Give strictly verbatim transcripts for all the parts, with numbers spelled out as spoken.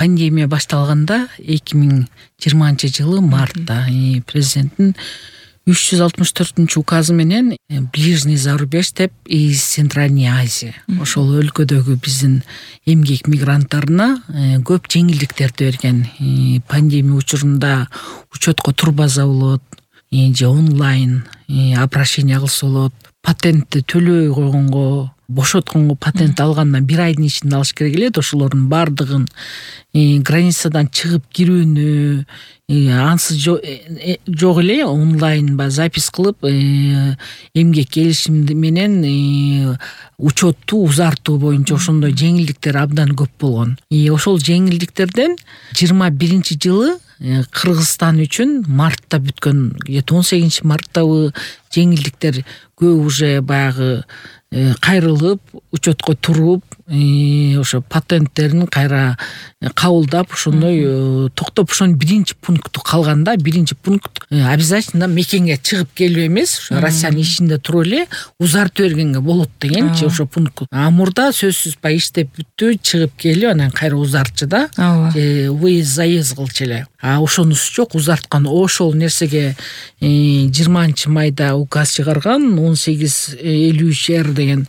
пандемия башталганда эки миң жыйырманчы жылы мартта президенттин үч жүз алтымыш төртүнчү указы менен ближний зарубеж деп из Центральной Азии ошол өлкөдөгү биздин эмгек мигранттарына көп жеңилдиктерди берген. Пандемия учурунда учетко турбаса болот же онлайн обращение кылса болот, патентти төлөбөй койгонго, бошотконго патент алгандан бир айдын ичинде алыш керек эле. Ошолордун баардыгын границадан чыгып кирүүнү ансыз жок эле онлайн ба запись кылып эмгек келишими менен учетту узартуу боюнча ошондой жеңилдиктер абдан көп болгон. Ошол жеңилдиктерден жыйырма биринчи жылы Кыргызстан үчүн мартта бүткөн, он сегизинчи марттабы жеңилдиктер көп уже баягы кайрылып, учетко туруп, ошо патенттерин кайра кабылдап, ошондой токтоп, ошонун биринчи пункту калганда, биринчи пункт обязательно мекенге чыгып келүү эмес, Россиянын ичинде туруп эле узартып бергенге болот дегенчи ошо пункт. А мурда сөзсүз баягы иштеп бүттү, чыгып келип, анан кайра узартчы да, выезд заезд кылчу эле. А ошонусу жок, узарткан. Ошол нерсеге жыйырманчы майда указ чыгарган он сегиз элүү үч эр деген.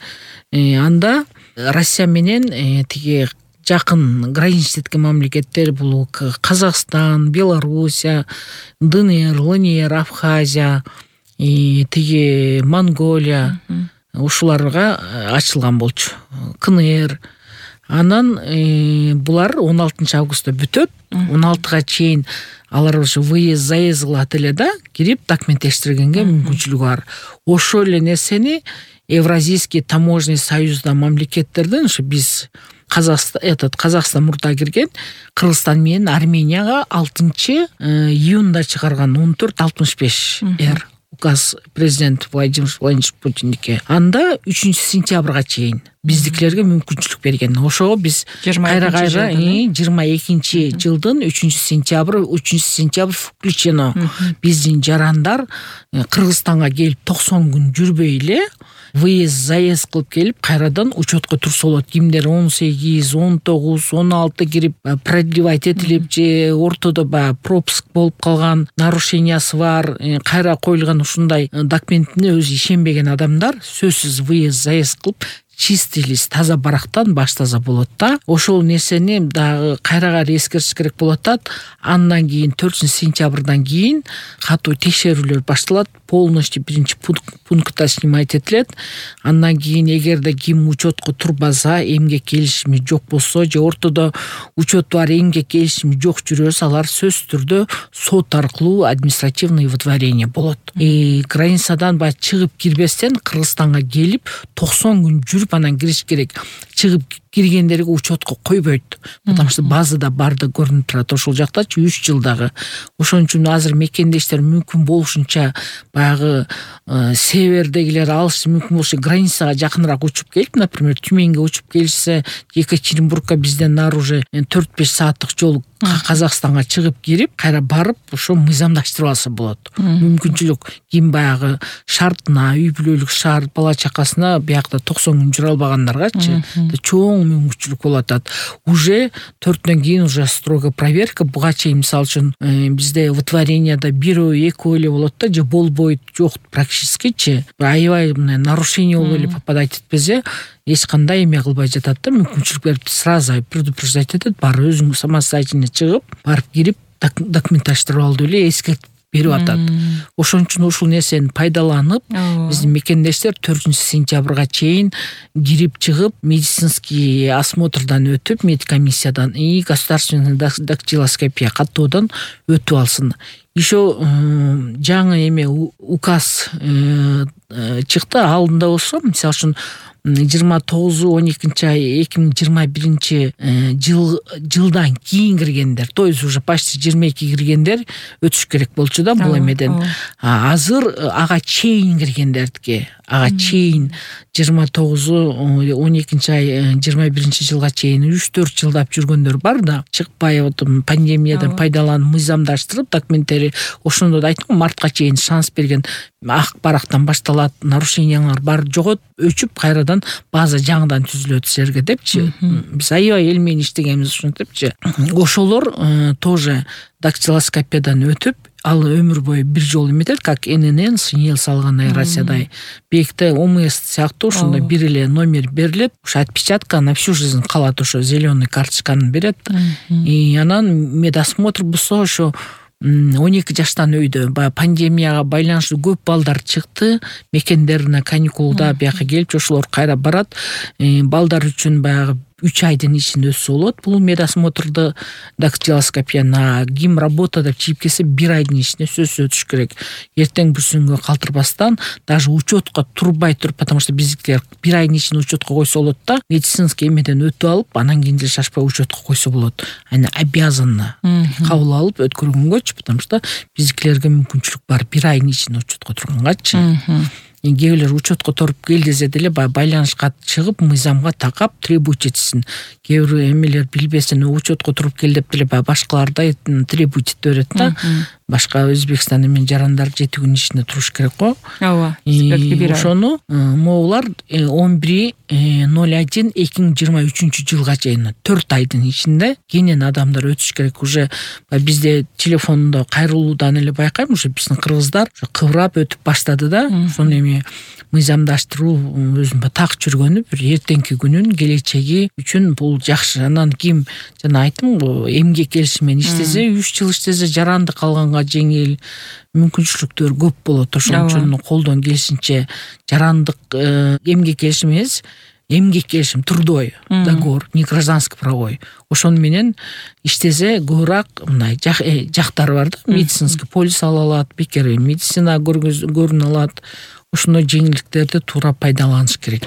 Анда Россия менен тиги жакын граничный мамлекеттер, бул Казакстан, Белоруссия, ДНР, ЛНР, Абхазия, тиги Монголия, ушуларга ачылган болчу. КНР. Анан булар он алтынчы августта бүтөт. он алтыга чейин алар ошо выезд заезд кылат эле да, кирип документтештиргенге мүмкүнчүлүгү бар. Ошол эле нерсени Евразийский таможенный союзда мамлекеттерден ошо биз Казакстан, этот Казакстан мурда кирген, Кыргызстан менен Арменияга алтынчы июнда чыгарган он төрт алтымыш беш эр указ президент Владимир Владимирович Путиндики. Анда үчүнчү сентябрга чейин биздикилерге мүмкүнчүлүк берген. Ошого биз кайра-кайра жыйырма экинчи жылдын үчүнчү сентябрь, үчүнчү сентябрь включено. Биздин жарандар Кыргызстанга келип токсон күн жүрбөй эле выезд заезд кылып келип, кайрадан учетко турса болот. Кимдер он сегиз, он тогуз, он алты кирип продлевать этилип же ортодо баягы пропуск болуп калган, нарушениясы бар, кайра коюлган ушундай документине өзү ишенбеген адамдар сөзсүз выезд заезд кылып чистый лист, таза барактан баштаса болот да. Ошол нерсени дагы кайра-кайра эскертиш керек болот да. Андан кийин төртүнчү сентябрдан кийин катуу текшерүүлөр башталат. Полностью биринчи пунктта снимать этилет. Андан кийин эгерде ким учетко турбаса, эмгек келишими жок болсо же ортодо учет бар, эмгек келишими жок жүрөсө, алар сөзсүз түрдө сот аркылуу административный выдворение болот. И границадан баягы чыгып кирбестен Кыргызстанга келип токсон күн жүрүп анан кириш керек. Чыгып киргендерге учетко койбойт. Потому что базада барды көрүнүп турат. Ошол жактачы үч жылдагы. Ошон үчүн азыр мекендештер мүмкүн болушунча баягы севердегилер алышы мүмкүн болушу границага жакыныраак учуп келип, например, Тюменге учуп келишсе, Екатеринбургка бизден нары уже төрт беш сааттык жол Казакстанга чыгып кирип, кайра барып, ошо мыйзамдаштырып алса болот. Мүмкүнчүлүк ким баягы шартына, үй бүлөлүк шарт, бала чакасына биякта токсон күн жүрө албагандаргачы чоң мүмкүнчүлүк болот. Уже төрттөн кийин уже строго проверка. Буга чейин мисалы үчүн бизде выдворенияда бирөө, экөө эле болот да, же болбойт, жок практическичи. Аябай нарушение болуп эле попадать этпесе, эч кандай эме кылбай жатат да, мүмкүнчүлүк берип сразу предупреждать этет, бар өзүң самостоятельно чыгып, барып кирип документташтырып ал деп эле эскертип берип атат. Ошон үчүн ушул нерсени пайдаланып, биздин мекендештер төртүнчү сентябрга чейин кирип чыгып, медицинский осмотрдан өтүп, медкомиссиядан и государственный дактилоскопия каттоодон өтүп алсын. Еще жаңы эме указ чыкты, алдында болсо, мисалы үчүн жыйырма тогузу он экинчи ай эки миң жыйырма биринчи жыл жылдан кийин киргендер, то есть уже почти жыйырма эки киргендер өтүш керек болчу да бул эмеден. Азыр ага чейин киргендердики, ага чейин жыйырма тогузу он экинчи ай жыйырма биринчи жылга чейин үч төрт жылдап жүргөндөр бар да, чыкпай пандемиядан пайдаланып мыйзамдаштырып документтери ошондо да айттым, мартка чейин шанс берген. ак барактан башталат, нарушениялар бар жогот, өчүп кайрадан база жаңыдан түзүлөт силерге депчи. Биз аябай эл менен иштегенбиз ушинтипчи. Ошолор тоже дактилоскопиядан өтүп, ал өмүр бою бир жолу эметет, как эн эн эн, синел салгандай Россиядай. Бекте О М С сыяктуу ошондой бир эле номер берилет. Ошо отпечатка на всю жизнь калат, ошо зеленый карточканы берет. И анан медосмотр болсо ошо он эки жаштан өйдө баягы пандемияга байланыштуу көп балдар чыкты, мекендерине каникулда бияка келип, ошолор кайра барат. Балдар үчүн баягы үч айдын ичинде өтсө болот. Бул медосмотрду дактилоскопияны ким работа деп чийип келсе бир айдын ичинде сөзсүз өтүш керек. Эртең бүрсүнгө калтырбастан, даже учетко турбай туруп, потому что биздикилер бир айдын ичинде учетко койсо болот да, медицинский эмеден өтүп алып, анан кийин деле шашпай учетко койсо болот. Аны обязанно кабыл алып өткөргөнгөчү, потому что биздикилерге мүмкүнчүлүк бар бир айдын ичинде учетко тургангачы. Кээ бирлер учетко туруп кел десе деле байланышка чыгып, мыйзамга такап требуйт этсин. Кээ бир эмелер билбесин, учетко туруп кел деп деле башкалардай требуйт ете берет да. Башка Өзбекстан эмен жарандар жети күн ичинде туруш керек го. Ооба. Ошону могулар он бир ноль один эки миң жыйырма үчүнчү жылга чейин төрт айдын ичинде кенен адамдар өтүш керек. Уже бизде телефондо кайрылуудан эле байкайм, уже биздин кыргыздар кыбырап өтүп баштады да. Ошону эми мыйзамдаштыруу өзүн так жүргөнү, бир эртеңки күнүн келечеги үчүн бул жакшы. Анан ким жана айттым го, эмгек келиши менен иштесе, үч жыл иштесе жаранды калганга жеңил, мүмкүнчүлүктөр көп болот. Ошон үчүн колдон келишинче жарандык эмгек келиши эмес, эмгек келишим, трудовой договор, не гражданский правовой. Ошону менен иштесе көбүрөөк мындай жактары бар да, медицинский полис ала алат, бекер медицина көрүнө алат. Ошондой жеңилдиктерди туура пайдаланыш керек.